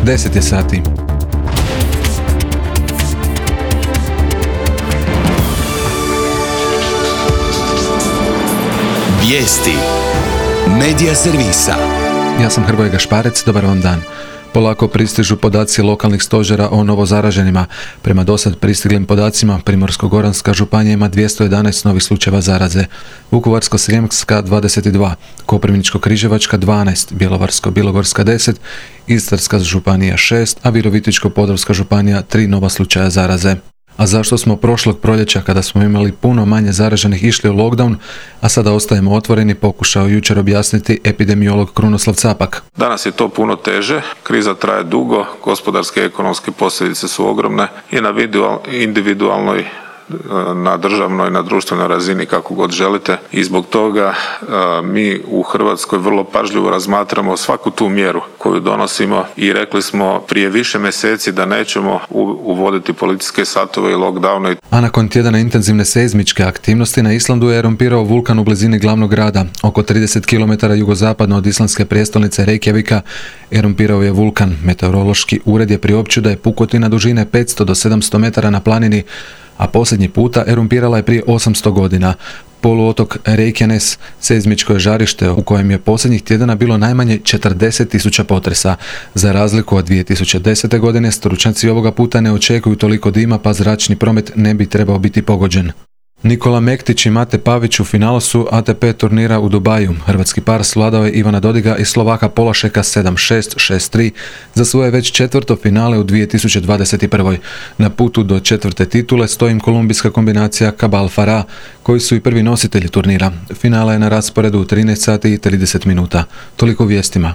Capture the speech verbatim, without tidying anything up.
deset je sati. Vijesti Medija servisa. Ja sam Hrvoje Gašparec, dobar vam dan. Polako pristižu podaci lokalnih stožera o novozaraženima. Prema dosad pristiglim podacima, Primorsko-goranska županija ima dvjesto jedanaest novih slučajeva zaraze, Vukovarsko-srijemska dvadeset dva, Koprivničko-križevačka dvanaest, Bjelovarsko-bilogorska deset, Istarska županija šest, a Virovitičko-podravska županija tri nova slučaja zaraze. A zašto smo prošlog proljeća, kada smo imali puno manje zaraženih, išli u lockdown, a sada ostajemo otvoreni, pokušao jučer objasniti epidemiolog Krunoslav Capak. Danas je to puno teže, kriza traje dugo, gospodarske i ekonomske posljedice su ogromne i na individualnoj, na državnoj, na društvenoj razini, kako god želite, i zbog toga a, mi u Hrvatskoj vrlo pažljivo razmatramo svaku tu mjeru koju donosimo i rekli smo prije više mjeseci da nećemo u, uvoditi policijske satove i lockdowne. A nakon tjedana intenzivne seizmičke aktivnosti na Islandu je erumpirao vulkan u blizini glavnog grada. Oko trideset kilometara jugozapadno od islandske prijestolnice Reykjavika erumpirao je vulkan. Meteorološki ured je priopćio da je pukotina dužine petsto do sedamsto metara na planini, a posljednji puta erumpirala je prije osamsto godina. Poluotok Reykjanes seizmičko je žarište u kojem je posljednjih tjedana bilo najmanje četrdeset tisuća potresa. Za razliku od dvije tisuće desete. godine, stručnjaci ovoga puta ne očekuju toliko dima, pa zračni promet ne bi trebao biti pogođen. Nikola Mektić i Mate Pavić u finalu su A T P turnira u Dubaju. Hrvatski par svladao je Ivana Dodiga i Slovaka Polašeka sedam šest, šest tri za svoje već četvrto finale u dvije tisuće dvadeset prve. Na putu do četvrte titule stoji im kolumbijska kombinacija Cabal Farah, koji su i prvi nositelji turnira. Finala je na rasporedu u trinaest sati i trideset minuta. Toliko vijestima.